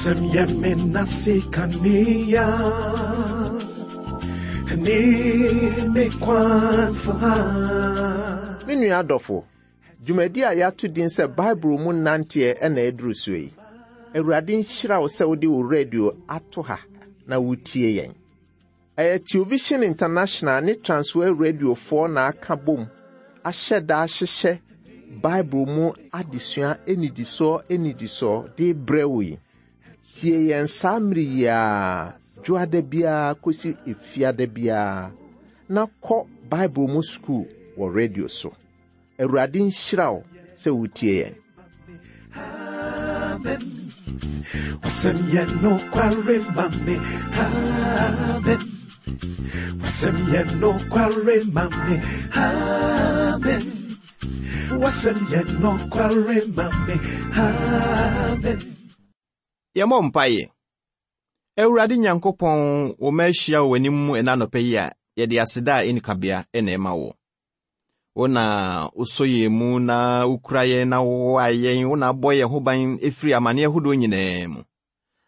Wasɛm yɛ me nase kanea ne me kwan saa. Me nua adɔfo, dwumadi a yɛato din sɛ Bible mu nanteɛ na aduru soɔ yi. Awurade nhyira wo sɛ wode wo radio ato ha na wotie yɛn. Ɛyɛ Television International ne Transworld Radiofoɔ na aka bom ahyɛ da ahyehyɛ Bible mu adesua nnidisoɔ nnidisoɔ de rebrɛ wo yi. Tie yɛn saa mmere yi ara, dwoada biara kɔsi efiada biara, na kɔ Bible mu sukuu wɔ radio so. Awurade nhyira wo sɛ wotie yɛn. Amen. Wasɛm yɛ nokware ma me. Amen. Wasɛm yɛ nokware ma me. Amen. Wasɛm yɛ nokware ma me. Amen. Yɛmmɔ mpaeɛ. Awurade Nyankopɔn, wo mma ahyia wɔ w'anim ɛna anɔpa yi a yɛde aseda a ɛnni kabea na ɛma wo. Wo na wosɔ yɛn mu na wokura yɛn na wowoa yɛn, wo na abɔ yɛn ho ban firi amanneɛ ahodoɔ nyinaa mu.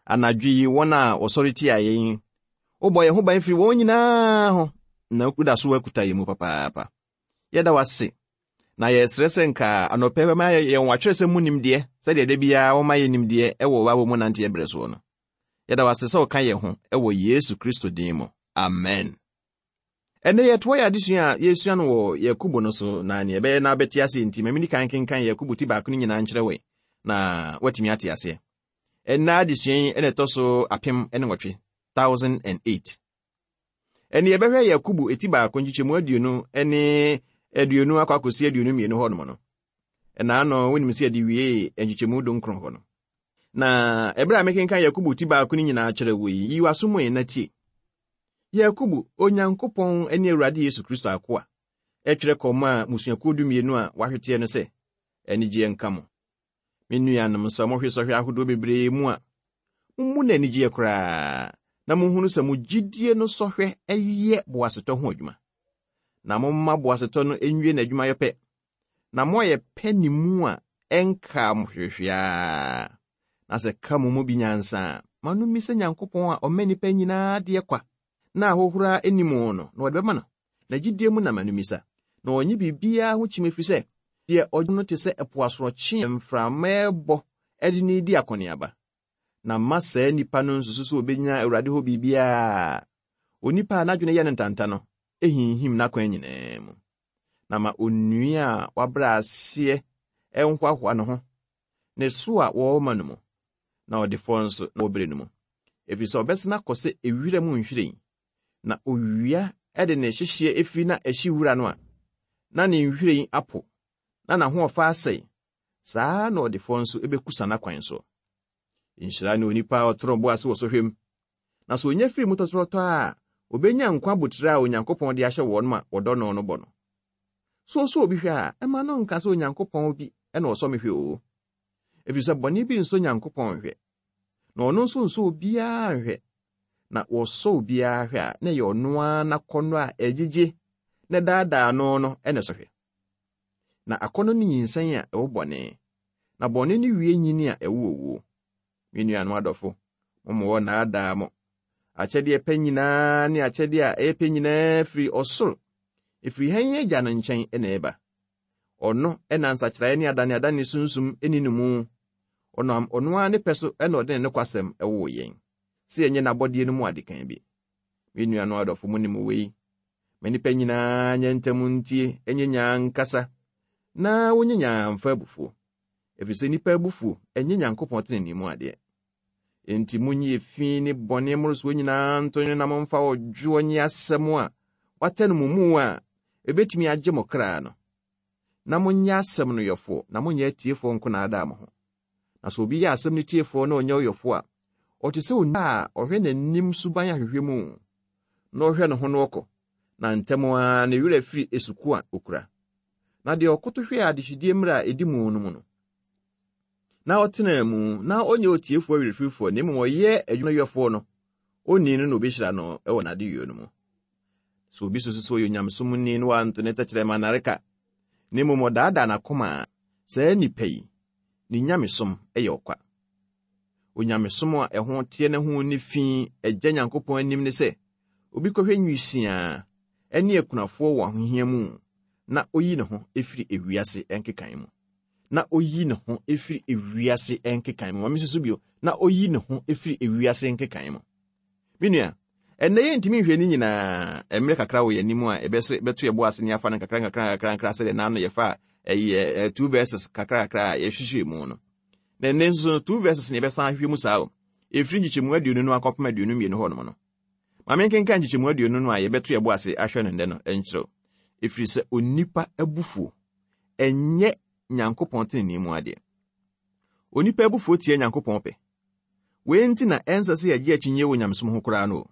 Anadwo yi, wɔn a wɔsɔre tia yɛn, wobɔ yɛn ho ban firi wɔn nyinaa ho, na woda so akuta yɛn mu papaapa. Yɛda wo ase, na yɛsrɛ sɛ nka anɔpa yi bɛma yɛn w'atwerɛsɛm mu nimdeɛ sɛdeɛ da biara woma yɛn nimdeɛ wɔ w'awɔ mu nanteɛ berɛ soɔ no. Yɛda wo ase sɛ woka yɛn ho wɔ Yesu Kristo din mu. Amen. Ɛnnɛ yɛtoa yɛn adesua a yɛresua no wɔ Yakobo no so, na nea ɛbɛyɛ na wobɛte aseɛ nti, ma menni kan nkenkan Yakobo ti baako no nyinaa nkyerɛ wo na woatumi ate aseɛ. Ɛnnɛ adesua yi na ɛtɔ so 1008, 1008. Ɛnne yɛbɛhwɛ Yakobo ti baako nkyekyɛmu 20 ne 20 akɔ akɔsi 22 hɔnom no. Ɛna ano wonim sɛ yɛde wiee nkyekyɛmu 19 hɔ no. Na ɛberɛ a mekenkan Yakobo ti baako no nyinaa kyerɛ wo yi, yi w'aso mu na tie. Yakobo, Onyankopɔn ne Awurade Yesu Kristo akoa, twerɛ kɔmaa mmusuakuo dumienu a wɔahweteɛ no sɛ, Anigyeɛ nka mo. Me nuanom, sɛ mohwe sɔhwɛ ahodoɔ bebree mu a, mommu no anigyeɛ koraa, na monhunu sɛ mo gyidie no sɔhwɛ yɛ boasetɔ ho adwuma. Na momma boasetɔ no nwie n'adwumayɛ pɛ, na moayɛ pɛ ne mu a ɛnkaa mo hwehwee Na sɛ ka mo mu bi nyansa a, ma no mmisa Nyankopɔn a ɔma nnipa nyinaa adeɛ kwa, na ahohora nni mu no, na ɔde bɛma no. Na gyidie mu na ma no mmisa, na ɔnnye biribiara ho kyim, ɛfiri sɛ, deɛ ɔgye no te sɛ ɛpo asorɔkye a mframa rebɔ de no redi akɔneaba. Na mma saa nipa no nsusu sɛ ɔbɛnya Awurade hɔ biribiara. Onipa a n'adwene yɛ no ntanta no hinhim n'akwan nyinaa mu. Na ma onua a wabrɛ aseɛ nhoahoa ne ho, ne so a wɔrema no mu, na ɔdefoɔ nso na wɔbrɛ no mu. Ɛfiri sɛ ɔbɛsene akɔ sɛ ewira mu nhwiren, na owia de ne hyehyeɛ firi na ɛhye wura no a, na ne nhwiren apo, na n'ahoɔfɛ asɛe. Saa ara na ɔdefoɔ nso bɛkusa n'akwan soɔ. Nhyira ne onipa a ɔtoro bo ase wɔ sɔhwɛ mu, na sɛ onya firi mu tɔtorɔtɔɔ a, obenya nkwa abotiri a Onyankopɔn de ahyɛ wɔn a wɔdɔ no no bɔ no. So ɔsɔ obi hwɛ a, ɛmma no nka sɛ Onyankopɔn bi na ɔsɔ me hwɛ oo. Efisɛ bɔne bi nsɔ Nyankopɔn nhwɛ, na ɔno nso nsɔ obiara nhwɛ. Na wɔsɔ obiara hwɛ a, na ɛyɛ ɔno ara n'akɔnnɔ a ɛgyegye na ɛdaadaa no no na ɛsɔ hwɛ. Na akɔnnɔ no nyinsɛn a ɛwo bɔne, na bɔne no wie nyini a ɛwo owuo. Me nuanom adɔfo, momma wɔnnaadaa mo. Akyɛdeɛ pa nyinaa ne akyɛdeɛ a ɛyɛ pɛ nyinaa firi ɔsoro, ɛfiri hann Agya no nkyɛn na ɛba. Ɔno na nsakyeraeɛ ne adaneadane sunsum nni no mu. Ɔnam ɔno ara ne pɛ so na ɔde ne nokwasɛm woo yɛn, sɛ yɛnyɛ n'abɔdeɛ no mu adekan bi. Me nuanom adɔfo, monim wei. Ma nnipa nyinaa nyɛ ntɛm ntie, nyɛ nyaa nkasa, na wonyɛ nyaa mfa abufuo. Ɛfiri sɛ nnipa abufuo nyɛ Nyankopɔn tenenee mu adeɛ. Enti monyi efi ne bɔne mmorosoɔ nyinaa nto nwene na momfa ɔdwoɔ nye asɛm a wɔatɛ no mo mu a ɛbɛtumi agye mo kra no. Na monyɛ asɛm no yɔfoɔ, na monyɛ atiefoɔ nko naadaa mo ho. Na sɛ obi yɛ asɛm no tiefoɔ na ɔnyɛ ɔyɔfoɔ a, ɔte sɛ onipa a ɔhwɛ n'anim suban ahwehwɛ mu, na ɔhwɛ ne ho na ɔkɔ, na ntɛm ara ne werɛ firi esuko a okura. Na deɛ ɔkoto hwɛɛ adehyedie mmerɛ a ɛdi mu no mu no, na ɔtenaa mu, na ɔnyɛ otiefoɔ werɛfirifoɔ, na mmom ɔyɛ adwuma no yɔfoɔ no, onii no na obehyira no wɔ n'adeyɔ no mu. Sɛ obi susu sɛ ɔyɛ onyamesomni na wanto ne tɛkyerɛma nnareka, na mmom ɔdaadaa n'akoma a, saa nipa yi, ne nyamesom yɛ ɔkwa. Onyamesom a ɛho teɛ na ho nni fi Agya Nyankopɔn anim ne sɛ obi kɔhwɛ nwisiaa ne akunafoɔ wɔ ahohia mu na oyi ne ho firi ewiase nkekae mu. Na oyi ne ho firi ewiase nkekae mu. Ma mensi so bio. Na oyi ne ho firi ewiase nkekae mu. Me nua, ɛnnɛ yɛntumi nhwɛ ne nyinaa. Mmerɛ kakra wɔ yɛn anim a yɛbɛto yɛn bo ase ne afa no nkakra nkakra nkakra nkakra sɛdeɛ n'ano yɛfa ɛyɛ two verses kakra kakra a yɛhwehwɛ mu no. Na ɛnnɛ nso no, two verses na yɛbɛsan ahwehwɛ mu saa o. Ɛfiri nkyekyɛmu 20 no akɔpem 22 hɔnom no. Ma menkenkan nkyekyɛmu 20 no a yɛbɛto yɛn bo ase ahwɛ no nnɛ no nkyerɛw. Ɛfiri sɛ onipa abufuo ɛnyɛ Nyankopɔn tenenee mu adeɛ. Onipa abufuo tia Nyankopɔn pɛ. Wei nti na ɛnsɛ sɛ yɛgye akyinnye wɔ nyamesom ho koraa no o.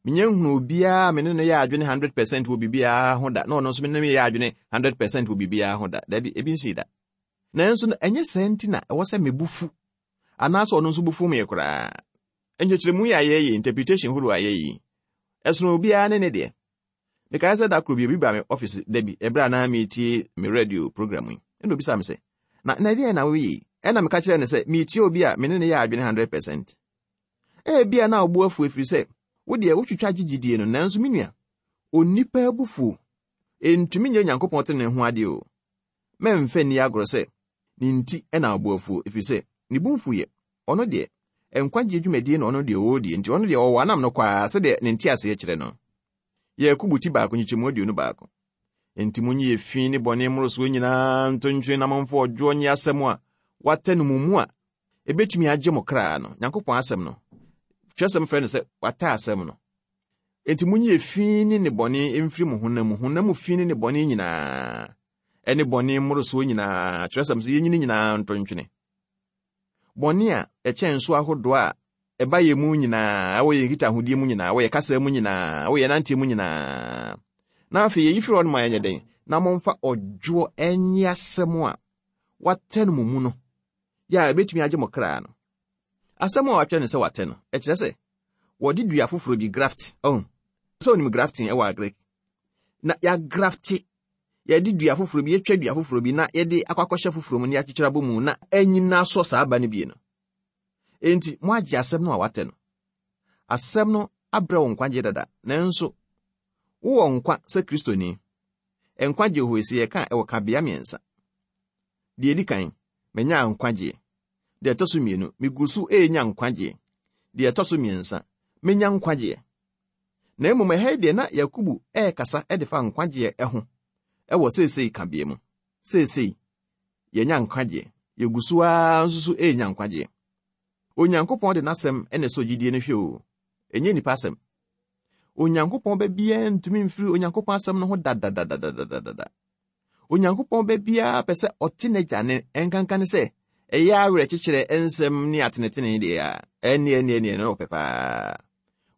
Menya nhunu obiara a me ne no yɛ adwene 100% wɔ biribiara ho da, na ɔno nso me ne no yɛ adwene 100% wɔ biribiara ho da. Dabi, ebi nsii da. Nanso no, ɛnyɛ saa nti na ɛwɔ sɛ me bo fu anaasɛ ɔno nso bo fu me koraa. Nkyerɛkyerɛmu yi a yɛyɛ, interpretation horow a yɛyɛ yi, ɛsono obiara ne ne deɛ. Mekae sɛ da koro bi obi baa me ɔfise da bi ɛberɛ a na meretie me radio program yi. Ɛna obisaa me sɛ, na na ɛdeɛn na woyɛ yi? Ɛna meka kyerɛɛ no sɛ meretie obi a me ne no yɛ adwene 100%. Ebia na wo bo afu ɛfiri sɛ wo deɛ wotwitwa gye gyidie no, nanso me nua, onipa abufuo ntumi nyɛ Onyankopɔn tenenee ho adeɛ o. Mɛmfa nni agorɔ sɛ ne nti na wo bo afuo, ɛfiri sɛ ne bo mfuiɛ. Ɔno deɛ, nkwagyeɛ dwumadie na ɔno deɛ ɔredie, nti ɔno deɛ ɔwɔ anam no kwaa sɛdeɛ ne nteaseɛ kyerɛ no. Yakobo ti baako nkyekyɛmu 21. Enti monyi efi ne bɔne mmorosoɔ nyinaa nto ntwene na momfa ɔdwoɔ nye asɛm a wɔatɛ no mo mu a ebetumi agye mo kra no, Nyankopɔn asɛm no. Twerɛsɛm frɛ no sɛ wɔatɛ asɛm no. Enti monyi efi ne nnebɔne mfiri mo honam mu, honam mu fi ne nnebɔne nyinaa, ɛne bɔne mmorosoɔ nyinaa, twerɛsɛm sɛ yɛnyi ne nyinaa nto ntwene. Bɔne a ɛkyɛn so ahodoɔ a ɛba yɛn mu nyinaa, ɛwɔ yɛn nkitahodie mu nyinaa, ɛwɔ yɛn kasa mu nyinaa, ɛwɔ yɛn nanteɛ mu nyinaa. Na afei yɛyi firi hɔ no ma yɛnyɛ dɛn? Na momfa ɔdwoɔ nye asɛm a wɔatɛ no mo mu no, yɛ a ɛbɛtumi agye mo kra no. Asɛm a wɔatwerɛ no sɛ wɔatɛ no, ɛkyerɛ sɛ wɔde dua foforɔ bi graft, ɔho, sɛ onim grafting ɛwɔ agric, na yɛagrafte yɛde dua foforɔ bi, yɛtwa dua foforɔ bi na yɛde akɔ akɔhyɛ foforɔ mu na yɛakyekyere abɔ mu na anyina asɔ saa aba no bie no. Enti, moagye asɛm no a wɔatɛ no. Asɛm no abrɛ wo nkwagye dada, nanso wowɔ nkwa sɛ Kristoni. Nkwagye wɔ hɔ sɛ yɛka a, ɛwɔ kabea mmiɛnsa. Deɛ ɛdi kan, manya nkwagyeɛ. Deɛ ɛtɔ so mmienu, megu so renya nkwagyeɛ. Deɛ ɛtɔ so mmiɛnsa, menya nkwagyeɛ. Na mmom ɛha yi deɛ na Yakobo rekasa de fa nkwagyeɛ ho wɔ seesei kabea mu. Seesei, yɛanya nkwagyeɛ. Yɛgu so ara nso so renya nkwagyeɛ. Onyankopɔn de n'asɛm na ɛsɔ gyidie no hwɛ o, ɛnyɛ nnipa asɛm. Onyankopɔn ba biara ntumi mfiri Onyankopɔn asɛm no ho dadadadadadada. Onyankopɔn ba biara pɛ sɛ ɔte n'agya ne nkanka ne sɛ ɛyɛ awerɛkyekyerɛ nsɛm ne atenetene deɛ a, ɛnneɛ ɛnneɛ ɛnneɛ na ɔpɛ paa.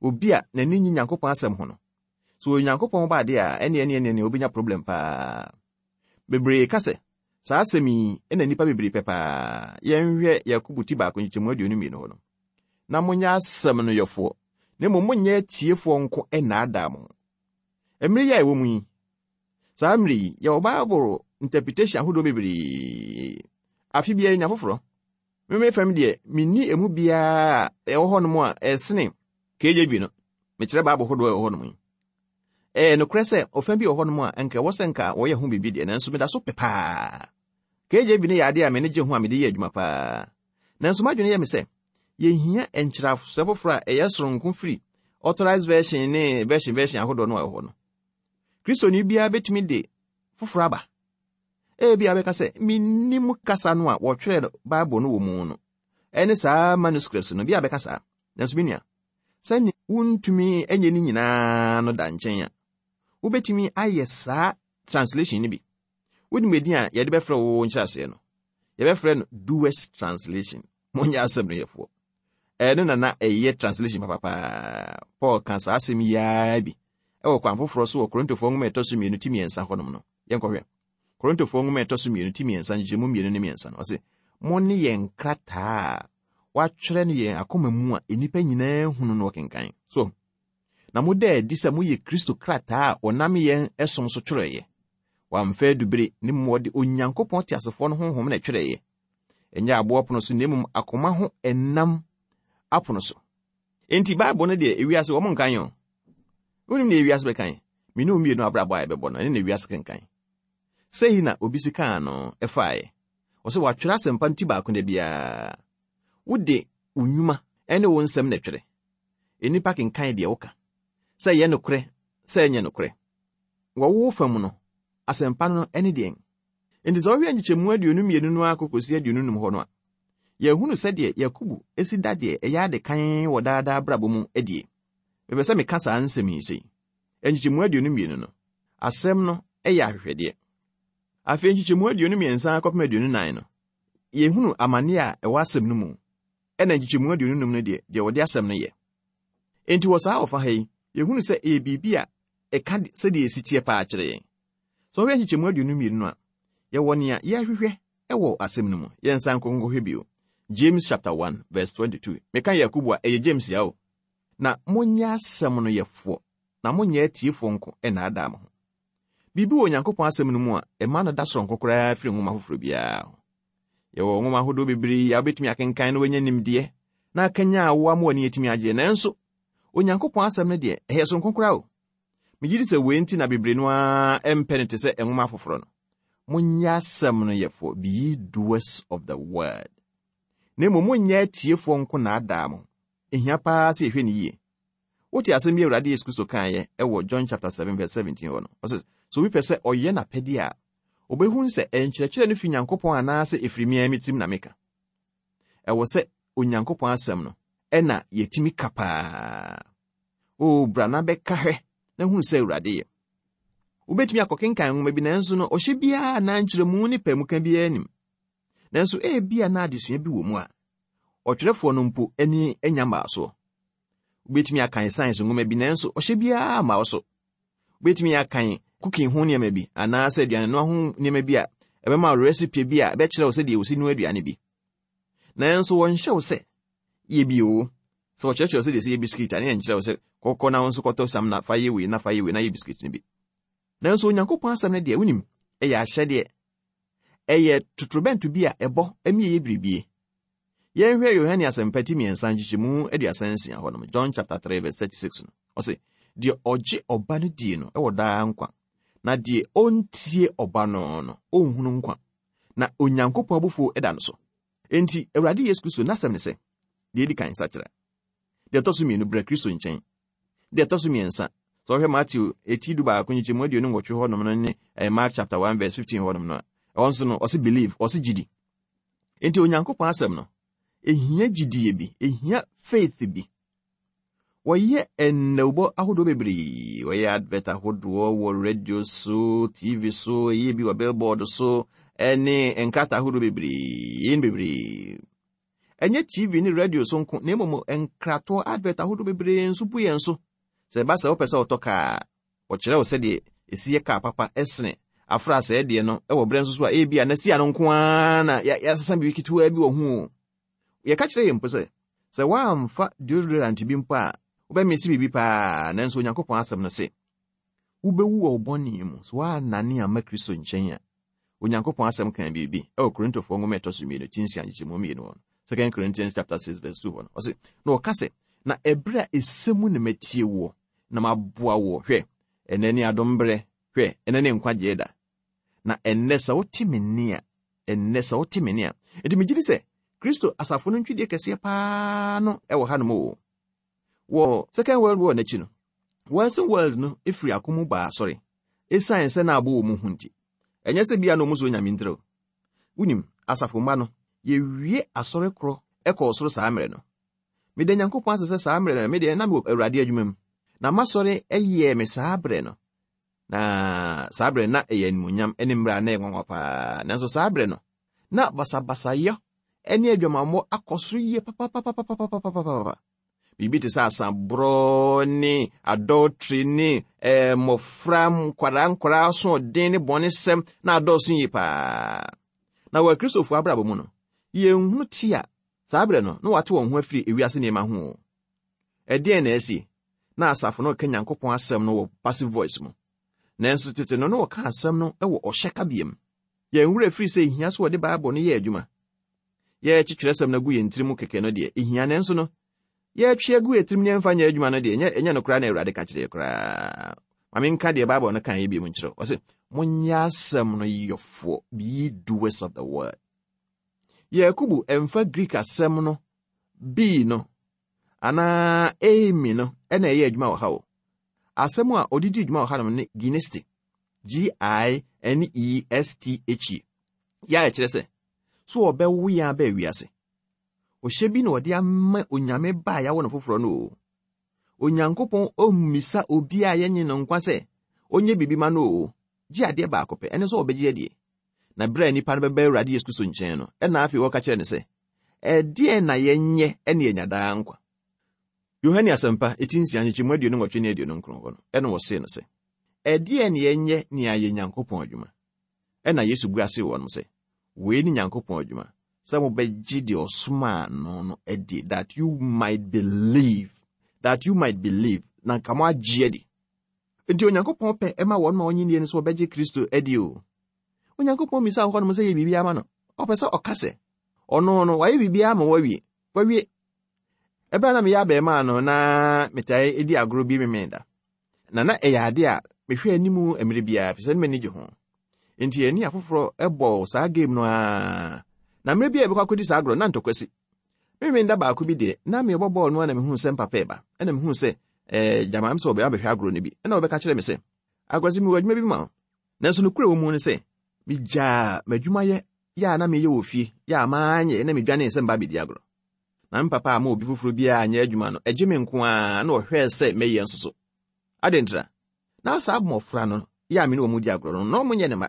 Obi a n'ani nye Nyankopɔn asɛm ho no, sɛ Onyankopɔn ba adeɛ a, ɛnneɛ ɛnneɛ ɛnneɛ obɛnya problem paa. Bebree ka sɛ, saa asɛm yi na nnipa bebree pɛ paa. Yɛnhwɛ Yakobo ti baako nkyekyɛmu 22 hɔ no. Na monyɛ asɛm no yɔfoɔ, na mmom monyɛ atiefoɔ nko nnaadaa mo ho. Mmere yi a ɛwɔ mu yi, Saa mmere yi, yɛwɔ Bible interpretation ahodoɔ bebree. Afe biara yɛnya foforɔ. Me me fam deɛ, menni emu biara a ɛwɔ hɔnom a ɛsene KJV no. Mekyerɛ Bible hodoɔ a ɛwɔ hɔnom yi. Ɛyɛ nokorɛ sɛ ɔfa bi wɔ hɔnom a nka ɛwɔ sɛ nka wɔyɛ ho biribi deɛ, nanso meda so pɛ paa. KJV no yɛ adeɛ a m'ani gye ho a mede yɛ adwuma paa. Nanso m'adwene yɛ me sɛ yɛhia nkyerɛaseɛ foforɔ a ɛyɛ soronko firi Authorized Version ne version version ahodoɔ no a ɛwɔ hɔ no. Kristoni biara betumi de foforo aba. Ebia wobɛka sɛ, 'Minnim kasa no a wɔtwerɛɛ Bible no wɔ mu no, ɛne saa manuscripts no. Bi a bɛka saa. Nanso me nua, sɛnea wuntumi nyɛ ne nyinaa no da nkyɛn a, wobetumi ayɛ saa translation no bi. Wonim edin a yɛde bɛfrɛ wo nkyerɛaseɛ no? Yɛbɛfrɛ no Doers Translation. Monyɛ asɛm no yɛfoɔ. Ɛno na na ɛyɛ translation papa paa. Paul ka saa asɛm yi ara bi wɔ kwan foforɔ so wɔ Korintofoɔ nwoma ɛtɔ so mmienu ti mmiɛnsa hɔnom no. Yɛnkɔhwɛ. Korintofoɔ nwoma ɛtɔ so mmienu ti mmiɛnsa nkyekyɛmu mmienu ne mmiɛnsa no, ɔse, Mo ne yɛn nkrataa a wɔatwerɛ no yɛn akoma mu a nnipa nyinaa hunu no wɔkenkan. So, na moda adi sɛ moyɛ Kristo krataa a wɔnam yɛn som so twerɛeɛ. Wɔamfa adubere, ne mmom wɔde Onyankopɔn teasefoɔ no honhom na ɛtwerɛeɛ. Ɛnyɛ aboɔ pono so na mmom akoma ho ɛnam apono so. Enti Bible no deɛ ewiase wɔn nkan o. Wonim deɛ ewiase bɛkan? Me ne wo mmienu abrabɔ a yɛbɛbɔ no, ɛne na ewiase kenkan. Sei na obi si kaa no ɛfaeɛ. Ɔsɛ wɔatwerɛ asɛmpa no ti baako da biara. Wode wo nnwuma ne wo nsɛm na ɛtwerɛ. Nnipa kenkan deɛ woka, sɛ ɛyɛ nokorɛ sɛ ɛnyɛ nokorɛ. Wɔ wo fam no, asɛmpa no ne deɛn? Enti sɛ wohwɛ nkyekyɛmu 22 no ara kɔkɔsi 25 hɔ no a, yɛhunu sɛdeɛ Yakobo si da deɛ ɛyɛ ade kann wɔ daa daa abrabɔ mu adie. Mepɛ sɛ meka saa nsɛm yi sei. Nkyekyɛmu 22 no, asɛm no yɛ ahwehwɛdeɛ. Afei nkyekyɛmu 23 kɔpem 24 no, yɛhunu amanneɛ a ɛwɔ asɛm no mu, ɛna nkyekyɛmu 25 no deɛ, deɛ wɔde asɛm no yɛ. Enti wɔ saa ɔfa ha yi, yɛhunu sɛ ɛyɛ biribi a ɛka sɛdeɛ ɛsi teɛ paa kyerɛ yɛn. Sɛ wohwɛ nkyekyɛmu 22 no a, yɛwɔ nea yɛrehwehwɛ wɔ asɛm no mu. Yɛnsan nkɔ nkɔhwɛ bio. James chapter 1 verse 22. Meka Yakobo a, ɛyɛ James ya o. Na monyɛ asɛm no yɛfoɔ, na monyɛ atiefoɔ nko nnaadaa mo ho. Biribi wɔ Onyankopɔn asɛm no mu a ɛma no da soronko koraa firi nwoma foforɔ biara ho. Yɛwɔ nwoma ahodoɔ bebree a wobɛtumi akenkan na woanya nimdeɛ na akanyan wo ama w'ani atumi agyeɛ, nanso Onyankopɔn asɛm no deɛ, ɛyɛ soronko koraa o. Megye di sɛ wei nti na bebree no ara mpɛ no te sɛ nwoma afoforɔ no. Monyɛ asɛm no yɛfoɔ, be ye doers of the word. Na mmom monyɛ atiefoɔ nko nnaadaa mo. Ehia paa sɛ yɛhwɛ no yie. Wote asɛm bi a Awurade Yesu Kristo kaeɛ wɔ John chapter 7 verse 17 hɔ no. Ɔse, sɛ obi pɛ sɛ ɔyɛ n'apɛdeɛ a, ɔbɛhunu sɛ nkyerɛkyerɛ no fi Nyankopɔn anaasɛ ɛfiri me ara me tirim na meka. Ɛwɔ sɛ Onyankopɔn asɛm no ɛna yɛtumi ka paa. O bra na bɛka hwɛ na hunu sɛ Awurade yɛ. Wobɛtumi akɔkenkan nwoma bi nanso no ɔhyɛ biara anaa nkyerɛmu ne paamuka biara nim. Nanso ebia na adesua bi wɔ mu a ɔtwerɛfoɔ no mpo ani anya mmaa soɔ. Wobɛtumi akan science nwoma bi nanso ɔhyɛ biara mma wo so. Wobɛtumi akan cooking ho nneɛma bi anaasɛ aduanenoa ho nneɛma bi a ɛbɛma wo recipe bi a ɛbɛkyerɛ wo sɛdeɛ wɔsi noa aduane bi. Nanso wɔnhyɛ wo sɛ yɛ bi o. Sɛ wɔkyerɛkyerɛ wo sɛdeɛ ɛsɛ yɛ bisikiti a, ne yɛnkyerɛ wo sɛ kɔkɔ na wo nso kɔtɔ sam na fa yɛ wei na fa yɛ wei na yɛ bisikiti no bi. Nanso Onyankopɔn asɛm no deɛ, wonim, ɛyɛ ahyɛdeɛ. Ɛyɛ totorobɛnto bi a ɛbɔ ma ɛyɛ biribie. Yɛnhwɛ Yohane Asɛmpa ti mmiɛnsa nkyekyɛmu 36 hɔ nom, John chapter 3 verse 36 no. Ɔse, deɛ ɔgye ɔba no die no wɔ daa nkwa, na deɛ ɔntie ɔba no no, ɔnhunu nkwa, na Onyankopɔn abufuo da no so. Enti, Awurade Yesu Kristo n'asɛm ne sɛ, deɛ edi kan, sakyera. Deɛ ɛtɔ so mmienu, bra Kristo nkyɛn. Deɛ ɛtɔ so mmiɛnsa, sɛ wohwɛ Mateo eti 11 nkyekyɛmu 28 hɔnom no ne eh, Mark chapter 1 verse 15 hɔnom no a, ɛhɔ nso no, ɔse believe, ɔse gyidi. Enti Onyankopɔn asɛm no, ehia gyidie bi, ehia faith bi. Wɔyɛ nnawubɔ ahodoɔ bebree. Wɔyɛ advert ahodoɔ wɔ radio so, TV so, ɛyɛ bi wɔ billboard so, ɛne nkrataa ahodoɔ bebree, ne bebree. Ɛnyɛ TV ne radio so nko, na mmom nkratoɔ advert ahodoɔ bebree nso bu yɛn so. Sɛ ɛba sɛ wopɛ sɛ wotɔ kaa a, wɔkyerɛ wo sɛdeɛ ɛsi yɛ kaa papa sene afra sɛɛ deɛ no wɔ berɛ nso so a ebia na si ano nko ara na yɛasesa biribi ketewaa bi wɔ ho o. Yɛka kyerɛ yɛn mpo sɛ, sɛ woamfa deodorant bi mpo a, wobɛmese biribi paa, nanso Onyankopɔn asɛm no se, wobɛwu wɔ wo bɔne mu, sɛ woannane amma Kristo nkyɛn a. Onyankopɔn asɛm kaa biribi wɔ Korintofoɔ nwoma ɛtɔ so mmienu, ti nsia, nkyekyɛmu mmienu hɔ no. Second Corinthians chapter 6 verse 2 hɔ no. Ɔse, na ɔka sɛ, na ɛberɛ a ɛsɛ mu na matie woɔ, na maboa woɔ. Hwɛ, ɛnnɛ ne adom berɛ, hwɛ, ɛnnɛ ne nkwagyeɛ da. Na ɛnnɛ sɛ wote me nne a, ɛnnɛ sɛ wote me nne a. Enti megye di sɛ Kristo asafo no ntwidie kɛseɛ paa no wɔ hanom o. Wɔ Second World War n'akyi no, Western world no firi ako mu baa asɔre esiane sɛ na abɔ wɔn hu nti. Ɛnyɛ sɛ bia na wɔn suro Nyame ntira o. Wonim, asafo mma no, yɛwie asɔre korɔ kɔɔ soro saa mmerɛ no. Meda Nyankopɔn ase sɛ saa mmerɛ no, me deɛ na mewɔ Awurade adwuma mu. Na m'asɔre yɛɛ me saa berɛ no. Na saa berɛ na ɛyɛ animuonyam ne mmerɛ a na ɛyɛ nwanwa paa. Nanso saa berɛ no, na basabasayɛ ne adwamammɔ akɔ soro yie papapapapapapapapa. Biribi te sɛ asaborɔ ne adultery ne eh, mmɔfra nkwadaa nkwadaa asoɔden ne bɔnesɛm na adɔɔso yie paa. Na wɔ Akristofoɔ abrabɔ mu no, yɛnhunu te a saa berɛ no na wɔate wɔn ho afiri ewiase nneɛma ho o. Ɛdeɛn na asi? Na asafo no reka Nyankopɔn asɛm no wɔ passive voice mu. Nanso tete no na wɔka asɛm no wɔ ɔhyɛ kabea mu. Yɛn werɛ firi sɛ ehia sɛ wɔde Bible no yɛ adwuma. Yɛrekye twerɛsɛm no agu yɛn tiri mu kɛkɛ no deɛ, ɛhia nanso no, yɛretwe agu yɛn tirim ne yɛmfa nyɛ adwuma no deɛ, ɛnyɛ ɛnyɛ no koraa na Awurade ka kyerɛ yɛ koraa. Ma menka deɛ Bible no kaeɛ bio nkyerɛ wo. Ɔse, monyɛ asɛm no yɔfoɔ, be ye doers of the word. Yakubu ɛmfa Greek asɛm no be no anaa eimi no ɛna ɛyɛ adwuma wɔ ha o. Asɛm a ɔde di dwuma wɔ hanom ne gineste, G-I-N-E-S-T-H-E, yɛ a ɛkyerɛ sɛ, so wɔbɛwo yɛn aba wiase. Ɔhyɛ bi na ɔde ama Onyame ba a yɛawo no foforɔ no o. Onyankopɔn ɔmmisa obi a yɛnye no nkwa sɛ ɔnyɛ biribi ma no o, gye adeɛ baako pɛ, ɛne sɛ ɔbɛgye adie. Na berɛ a nnipa no bɛba Awurade Yesu Kristo nkyɛn no, ɛna afei wɔka kyerɛ no sɛ, ɛdeɛn na yɛnyɛ ne yɛanya daa nkwa? Yohane Asɛmpa, eti nsia, nkyekyɛmu 28 ne 29 hɔ no, ɛna wɔsee no sɛ, Ɛdeɛn ne yɛnyɛ ne ayɛ Nyankopɔn adwuma? Ɛna Yesu bua see wɔnom sɛ, Wei ne Nyankopɔn adwuma, sɛ mobɛgye deɛ ɔsomaa no no adie, that you might believe, that you might believe, na nka moagye adi. Enti Onyankopɔn pɛ ɛma wɔn ma wɔnye nnie no sɛ wɔbɛgye Kristo adi o. Onyankopɔn mmisa wɔ hɔnom sɛ yɛ biribi ama no. Ɔpɛ sɛ ɔka sɛ, ɔno no, wayɛ biribiara ma wawie. Wawie. Ɛberɛ a na meyɛ abarimaa no, na metae di agorɔ bi Memeneda. Na na ɛyɛ ade a mehwɛ anim mmerɛ biara, ɛfiri sɛ na m'ani gye ho. Enti yɛne afoforɔ bɔɔ saa game no ara. Na mmerɛ bi a yɛbɛkɔ akɔdi saa agorɔ no, na ntɔkwa si. Memeneda baako bi deɛ, na merebɔ bɔɔl no ara na mehuu sɛ mpapa reba. Ɛna mehuu sɛ eh, gyama sɛ ɔbɛba abɛhwɛ agorɔ no bi. Ɛna ɔbɛka kyerɛ me sɛ, Akwasi, mewɔ adwuma bi ma wo. Nanso nokorɛ wɔ mu ne sɛ, megyaa m'adwumayɛ yɛ a na meyɛ wɔ fie yɛ a manyɛ na medwanee sɛ meba abɛdi agorɔ. Na me papa amma obi foforɔ biara anyɛ adwuma no, ɛgye me nko ara na ɔhwɛɛ sɛ mɛyɛ nso so. Adɛn ntira? Na saa mmɔfra no yɛ a me ne wɔn di agorɔ no, na wɔnyɛ ne mma.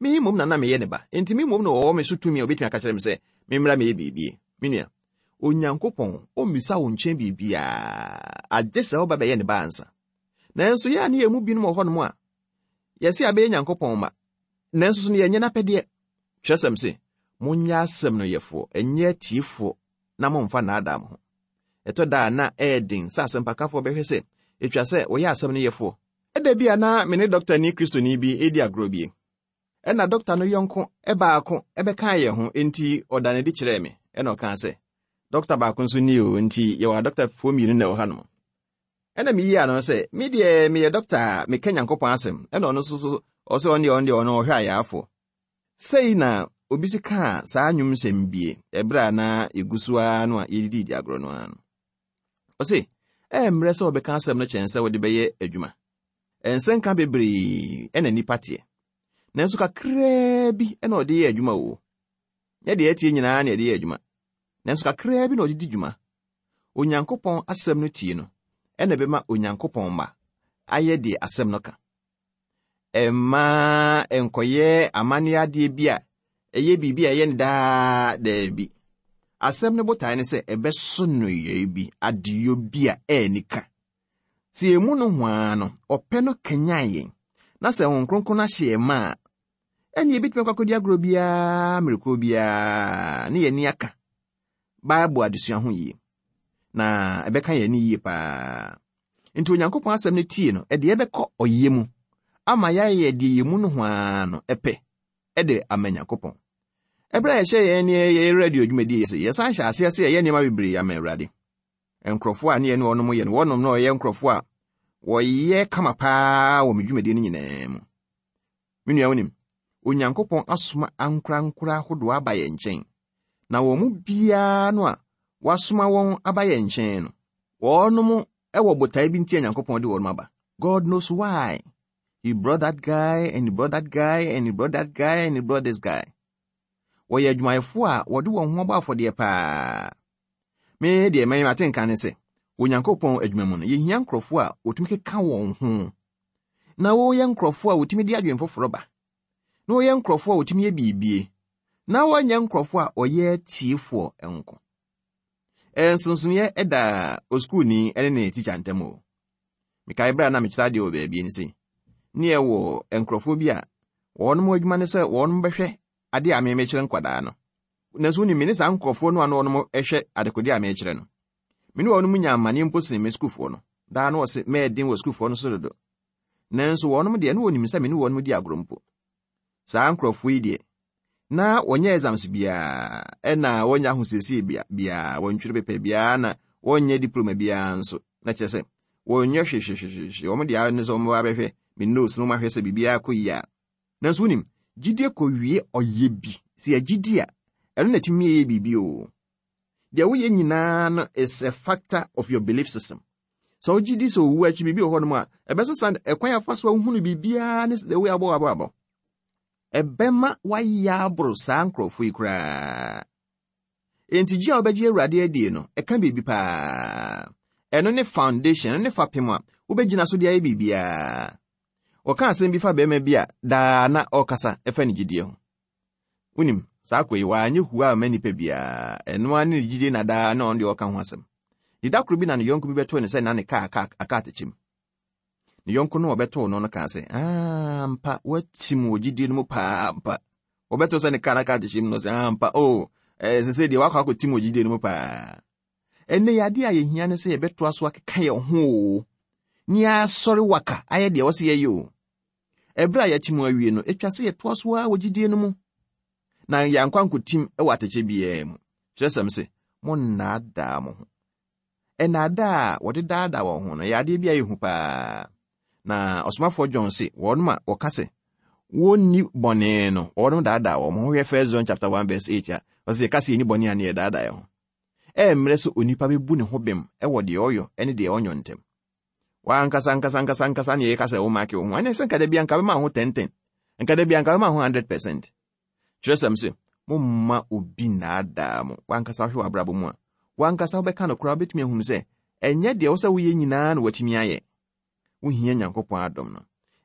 Me mmom na na meyɛ ne ba, enti me mmom na ɔwɔ me so tumi a obetumi aka kyerɛ me sɛ memmra mmɛyɛ biribi. Me nua, Onyankopɔn ommisa wo nkyɛn biribiara, agye sɛ woba bɛyɛ ne ba ansa. Nanso yɛn a ne yɛn mu binom wɔ hɔnom a, yɛse abɛyɛ Nyankopɔn mma, nanso so no yɛnyɛ n'apɛdeɛ. Kyerɛsɛm se, Monyɛ asɛm no yɛfoɔ, ɛnyɛ atiefoɔ, na mommfa nnaadaa mo ho. Ɛtɔ da a na ɛyɛ den sɛ asɛmpakafoɔ bɛhwɛ sɛ etwa sɛ wɔyɛ asɛm no yɛfoɔ. Ɛda bi a na me ne dɔktani Kristoni bi redi agorɔ bi. Ɛnna dɔkta no yɔnko baako bɛkaa yɛn ho, enti ɔdaa no adi kyerɛɛ me, ɛnna ɔkaa sɛ, Dɔkta baako nso ni o, enti yɛwɔ adɔktafoɔ mmienu na ɛwɔ hanom. Ɛnna miyii ano sɛ, Me deɛ meyɛ dɔkta a meka Nyankopɔn asɛm, ɛnna ɔno nso so ɔsɛ ɔno deɛ ɔno deɛ ɔno ɔhwɛ ayarefoɔ. Sei na obi si kaa saa nnwom nsɛm bie ɛberɛ a na yɛgu so ara no a yɛdididi agorɔ no ara no. Ɔse, ɛyɛ mmerɛ sɛ wɔbɛka asɛm no kyɛn sɛ wode bɛyɛ adwuma. Nsɛnka bebree na nnipa teɛ, nanso kakraa bi na ɔde yɛ adwuma o. Nyɛ deɛ ɛteɛ nyinaa na ɛde yɛ adwuma, nanso kakraa bi na ɔde di dwuma. Onyankopɔn asɛm no tie no na ɛbɛma Onyankopɔn mma ayɛ deɛ asɛm no ka. Ɛmma ɛnkɔyɛ amanneɛ adeɛ bi a ɛyɛ biribi a ɛyɛ no daa daabi. Asɛm no botae ne sɛ ɛbɛso nneyɔe bi, adeyɔ bi a ɛyɛ ka. Sɛ yɛn mu nohoa no, ɔpɛ no kanyan yɛn, na sɛ Honhom Kronkron no ahyɛ yɛn ma a, ɛnneɛ yɛbɛtumi akɔ akɔdi agorɔ biara mmerɛkuo biara ne yɛn ani aka Bible adesua ho yie, na ɛbɛka yɛn ani yie paa. Nti Onyankopɔn asɛm no tie no, ɛde yɛbɛkɔ ɔyɛ mu ama yɛayɛ deɛ yɛn mu nohoa no ɛpɛ ɛde ama Nyankopɔn. Ɛberɛ a yɛhyɛ yɛn ne yɛyɛ radio dwumadie yi ase, yɛsan hyɛ aseɛ sɛ yɛyɛ nneɛma bebree ama Awurade. Nkurɔfoɔ a ne yɛne wɔnom yɛ no, wɔnom na wɔyɛ nkurɔfoɔ a wɔyɛ kama paa wɔ me dwumadie no nyinaa mu. Me nua wonim, Onyankopɔn asoma ankorankoro ahodoɔ aba yɛn nkyɛn, na wɔn mu biara no a wasoma wɔn aba yɛn nkyɛn no, wɔnom wɔ botae bi nti a Nyankopɔn de wɔnom aba. God knows why. He brought that guy and he brought that guy and he brought that guy and he brought this guy. Wɔyɛ adwumayɛfoɔ a wɔde wɔn ho abɔ afɔdeɛ paa. Me deɛ mɛyɛ mate nka ne sɛ, Onyankopɔn adwuma mu no, yɛhia nkurɔfoɔ a wɔtumi keka wɔn ho na wɔyɛ nkurɔfoɔ a wɔtumi de adwene foforɔ ba, na wɔyɛ nkurɔfoɔ a wɔtumi yɛ biribie, na wɔnyɛ nkurɔfoɔ a wɔyɛ atiefoɔ nko. Nsonsonoeɛ da osukuuni ne ne tikya ntam o. Mekae berɛ a na mekyerɛ adeɛ wɔ baabi no sei, ne yɛwɔ nkurɔfoɔ bi a wɔn adwuma ne sɛ wɔn bɛhwɛ adeɛ a memekyerɛ nkwadaa no. Nanso wonim, me ne saa nkurɔfoɔ no a na wɔn hwɛ adekodeɛ a mekyerɛ no. Me ne wɔn nya amanneɛ mpo sene me sukuufoɔ no. Daa na wɔse mɛyɛ den wɔ sukuufoɔ no so dodo. Nanso wɔnom deɛ, na wɔnim sɛ me ne wɔnom di agorɔ mpo. Saa nkurɔfoɔ yi deɛ, Na wɔnyɛ exams biara, ɛna wɔnyɛ ahosiesie biara, wɔntwerɛ paper biara, na wɔnyɛ diploma biara nso. Na kyerɛ sɛ, wɔnyɛ hwehwehwehwehwe. Wɔn deɛ ne sɛ wɔn abɛhwɛ me notes no, wɔn ahwɛ sɛ biribiara kɔ yie a. Nanso wonim, gyidie kɔwie ɔyɛ bi. Sɛ yɛgye di a, ɛno na ɛtumi yɛ biribi o. Deɛ woyɛ nyinaa no is a factor of your belief system. Sɛ wogye di sɛ owu akyi biribi wɔ hɔnom a, ɛbɛsesa ɛkwan afa so ahunu biribiara ne the way abɔ w'abrabɔ. Ɛbɛma woayɛ aboro saa nkurɔfoɔ yi koraa. Enti gye a wobɛgye Awurade adie no, ɛka biribi paa. Ɛno ne foundation, ɛno ne fapem a wobɛgyina so de ayɛ biribiara. Wɔka asɛm bi fa barima bi a daa na ɔrekasa ɛfa ne gyidie ho. Wonim, saa akɔ yi, wanyɛ hua amma nnipa biara. Ɛno ara ne ne gyidie na daa na ɔno deɛ ɔka ho asɛm. Ne da koro bi na ne yɔnko bi bɛtoo ne sɛ na ne kaa aka atɛkyɛ mu. Ne yɔnko no a ɔbɛtoo no no kaa sɛ, ampa, woatim wɔ gyidie no mu paa ampa. Wɔbɛtoo sɛ ne kaa no aka atɛkyɛ mu no sɛ, ampa, o, oh, ɛsɛ sɛ deɛ wakɔ akɔtim wɔ gyidie no mu paa. Ɛnnɛ yi, adeɛ a yɛhia ne sɛ yɛbɛtoa so akeka yɛn ho o, ne yɛasɔre waka ayɛ deɛ ɛwɔ sɛ yɛyɛ o. Ɛberɛ a yɛate mu awie no, ɛtwa sɛ yɛtoa so ara wɔ gyidie no mu, na yɛankɔ ankɔtim wɔ atɛkyɛ biara mu. Kyerɛsɛm se, Monnaadaa mo ho. Nnaadaa a wɔde daadaa wɔn ho no, ɛyɛ adeɛ bi a ɛyɛ hu paa. Na ɔsomafoɔ John se, wɔnom a wɔka sɛ wɔnni bɔne no, wɔnom daadaa wɔn ho. Hwɛ 1 John chapter 1 verse 8 a, ɔse yɛka sɛ yɛnni bɔne a ne yɛdaadaa yɛn ho. Ɛyɛ sɛ onipa bɛbu ne ho bem wɔ deɛ ɔyɔ ne deɛ ɔnyɔ ntam. W'ankasa ankasa ankasa ankasa ne yɛka sɛ womake wo ho. Ɛne sɛ nka da bia nka bɛma ho 10-10. Nka da bia nka bɛma ho 100%. Kyerɛsɛm se, momma obi nnaadaa mo. W'ankasa wohwɛ w'abrabɔ mu a, w'ankasa wobɛka no koraa wobɛtumi ahunu sɛ ɛnyɛ deɛ wo sɛ woyɛ nyinaa na watumi ayɛ. Wohia Nyankopɔn adom no.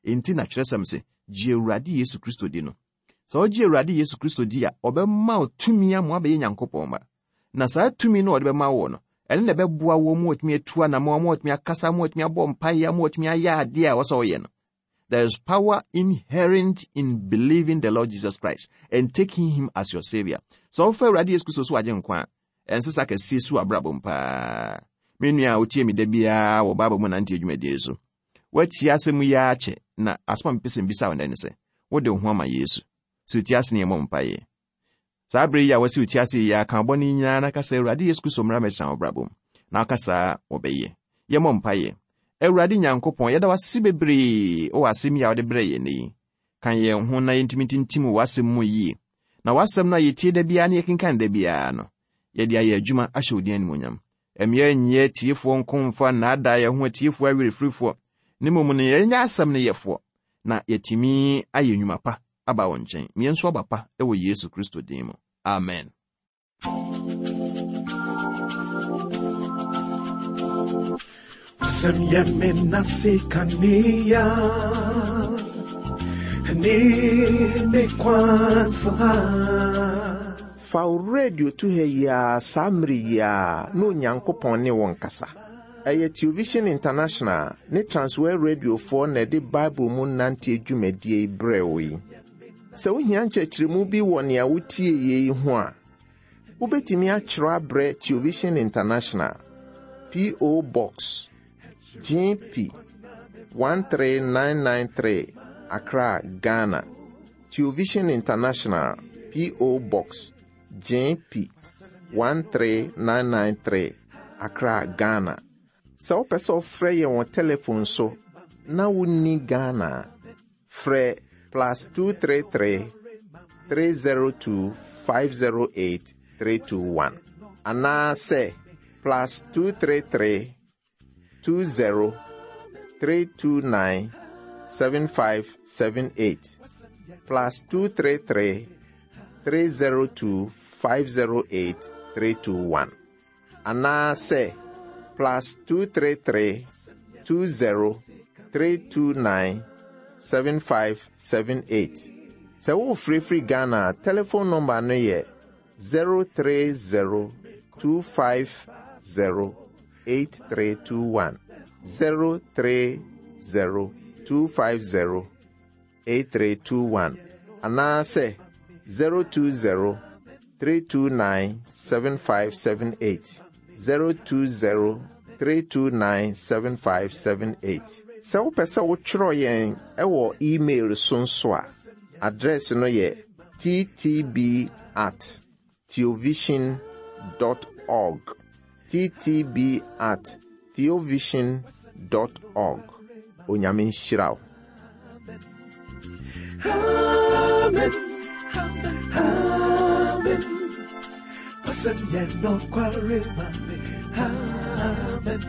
Enti na kyerɛsɛm se, gye Awurade Yesu Kristo di no. Sɛ wogye Awurade Yesu Kristo di a, ɔbɛma wo tumi ama woabɛyɛ Nyankopɔn ba. Na saa tumi no a ɔde bɛma wo no, ɛno na ɛbɛboa wo ma woatumi atu anammɔn, ma woatumi akasa, ma woatumi abɔ mpaeɛ, ma woatumi ayɛ adeɛ a ɛwɔ sɛ woyɛ no. There is power inherent in believing the Lord Jesus Christ and taking him as your savior. Sɛ wofa Awurade Yesu Kristo so agye nkwa a, ɛnsesa kɛseɛ si w'abrabɔ mu paa. Me nua a wotie me da biara wɔ Bible mu nante adwumadie so. Woatie asɛm yi ara kyɛ, na asɛm a mepɛ sɛ mbisa wo nnɛ ne sɛ, wode wo ho ama Yesu? Sɛ wotie ase ne yɛmmɔ mpaeɛ. Saa bere yi a wɔasi wo ti ase yi ara, ka bɔne nyinaa na ka sɛ, Awurade Yesu Kristo mmra mmɛtena w'abrabɔ mu. Na woka saa a, wɔbɛyɛ. Yɛmmɔ mpaeɛ. Awurade Nyankopɔn, yɛda wo ase bebree wɔ asɛm yi a wode brɛɛ yɛn nnɛ yi. Ka yɛn ho na yɛntumi ntintim wɔ w'asɛm mu yie. Na w'asɛm no a yɛtie da biara na yɛkenkan da biara no, yɛde ayɛ adwuma ahyɛ wo din animuonyam. Ɛmmea nyɛ atiefoɔ nko mfa nnaadaa yɛn ho atiefoɔ awerɛfirifoɔ, na mmom no yɛnyɛ asɛm no yɛfoɔ, na yɛatumi ayɛ nnwuma pa aba wo nkyɛn. Ma yɛnso aba pa wɔ Yesu Kristo din mu. Amen. Sɛm yɛ me na se kanea ne me kwan so ha. Fa wo radio to ha yi ara saa mmere yi ara na Onyankopɔn ne wo nkasa. Ɛyɛ Television International ne Transworld Radiofoɔ na ɛde Bible mu nanteɛ dwumadie yi brɛɛ wo yi. Sɛ wohia nkyerɛkyerɛmu bi wɔ nea wotie yi ho a, wobɛtumi akyerɛw abrɛ Television International, P.O. Box, GP 13993, Accra, Ghana. Television International, P.O. Box, GP 13993, Accra, Ghana. Sɛ wopɛ sɛ ɔfrɛ yɛn wɔ telefon so na wonni Ghana a, frɛ plus 233 302 508 321 anaasɛ plus 233 20 329 7578 plus 233 302 508 321 anaasɛ plus 233 20 329 7578. Sɛ worefrɛfiri Ghana a, telephone number no yɛ 030 250 8321. 030 250 8321 anaasɛ 020 329 7578. 020 329 7578. Sɛ wopɛ sɛ wotwerɛ yɛn wɔ email so nso a, address no yɛ Ttb at theovision dot org. Ttb at theovision dot org. Onyame nhyira wo. Amen. Amen. Wasɛm yɛ nokware ma me. Amen.